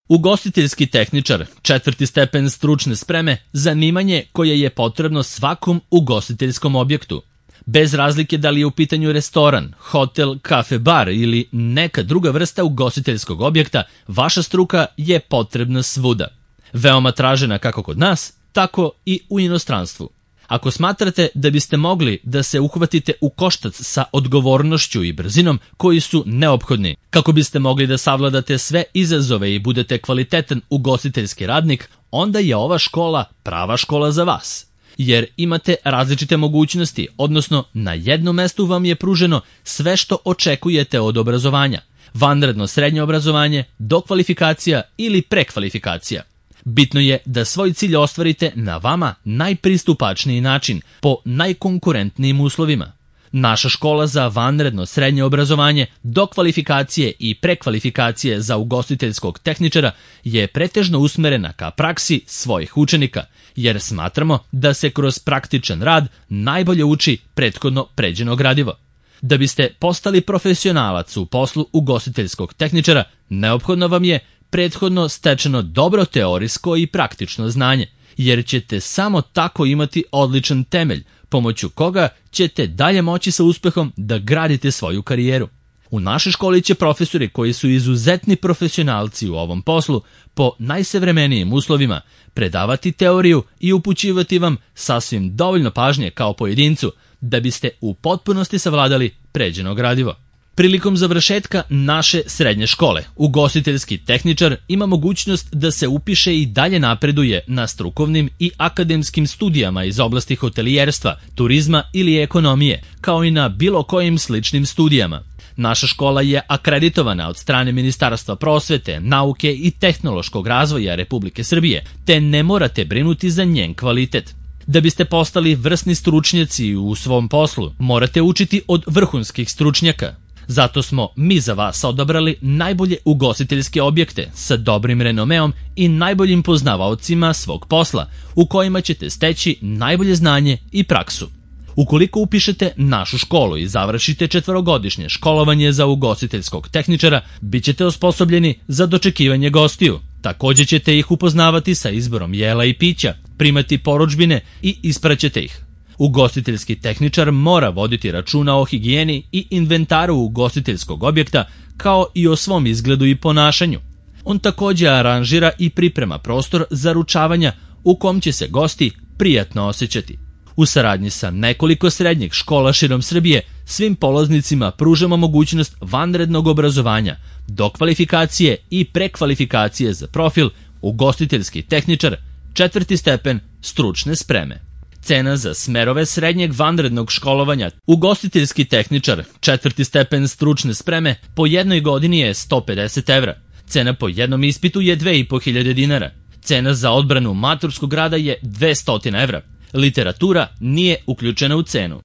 Ugostiteljski tehničar, 4. stepen stručne spreme, zanimanje koje je potrebno svakom ugostiteljskom objektu. Bez razlike da li je u pitanju restoran, hotel, kafe, bar ili neka druga vrsta ugostiteljskog objekta, vaša struka je potrebna svuda. Veoma tražena kako kod nas, tako i u inostranstvu. Ako smatrate da biste mogli da se uhvatite u koštac sa odgovornošću i brzinom koji su neophodni, kako biste mogli da savladate sve izazove i budete kvalitetan ugostiteljski radnik, onda je ova škola prava škola za vas. Jer imate različite mogućnosti, odnosno na jednom mestu vam je pruženo sve što očekujete od obrazovanja. Vanredno srednje obrazovanje, dokvalifikacija ili prekvalifikacija. Bitno je da svoj cilj ostvarite na vama najpristupačniji način, po najkonkurentnijim uslovima. Naša škola za vanredno srednje obrazovanje, dokvalifikacije i prekvalifikacije za ugostiteljskog tehničara je pretežno usmerena ka praksi svojih učenika, jer smatramo da se kroz praktičan rad najbolje uči prethodno pređeno gradivo. Da biste postali profesionalac u poslu ugostiteljskog tehničara, neophodno vam je prethodno stečeno dobro teorijsko i praktično znanje, jer ćete samo tako imati odličan temelj, pomoću koga ćete dalje moći sa uspehom da gradite svoju karijeru. U našoj školi će profesori koji su izuzetni profesionalci u ovom poslu, po najsavremenijim uslovima, predavati teoriju i upućivati vam sasvim dovoljno pažnje kao pojedincu, da biste u potpunosti savladali pređeno gradivo. Prilikom završetka naše srednje škole, ugostiteljski tehničar ima mogućnost da se upiše i dalje napreduje na strukovnim i akademskim studijama iz oblasti hotelijerstva, turizma ili ekonomije, kao i na bilo kojim sličnim studijama. Naša škola je akreditovana od strane Ministarstva prosvete, nauke i tehnološkog razvoja Republike Srbije, te ne morate brinuti za njen kvalitet. Da biste postali vrsni stručnjaci u svom poslu, morate učiti od vrhunskih stručnjaka. Zato smo mi za vas odabrali najbolje ugostiteljske objekte sa dobrim renomeom i najboljim poznavaocima svog posla, u kojima ćete steći najbolje znanje i praksu. Ukoliko upišete našu školu i završite 4-godišnje školovanje za ugostiteljskog tehničara, bit ćete osposobljeni za dočekivanje gostiju. Također ćete ih upoznavati sa izborom jela i pića, primati porudžbine i ispraćete ih. Ugostiteljski tehničar mora voditi računa o higijeni i inventaru ugostiteljskog objekta, kao i o svom izgledu i ponašanju. On također aranžira i priprema prostor za ručavanja u kom će se gosti prijatno osjećati. U saradnji sa nekoliko srednjih škola širom Srbije, svim polaznicima pružamo mogućnost vanrednog obrazovanja, dokvalifikacije i prekvalifikacije za profil ugostiteljski tehničar, 4. stepen stručne spreme. Cena za smerove srednjeg vanrednog školovanja ugostiteljski tehničar, 4. stepen stručne spreme, po jednoj godini je 150 evra. Cena po jednom ispitu je 2500 dinara. Cena za odbranu maturskog rada je 200 evra. Literatura nije uključena u cenu.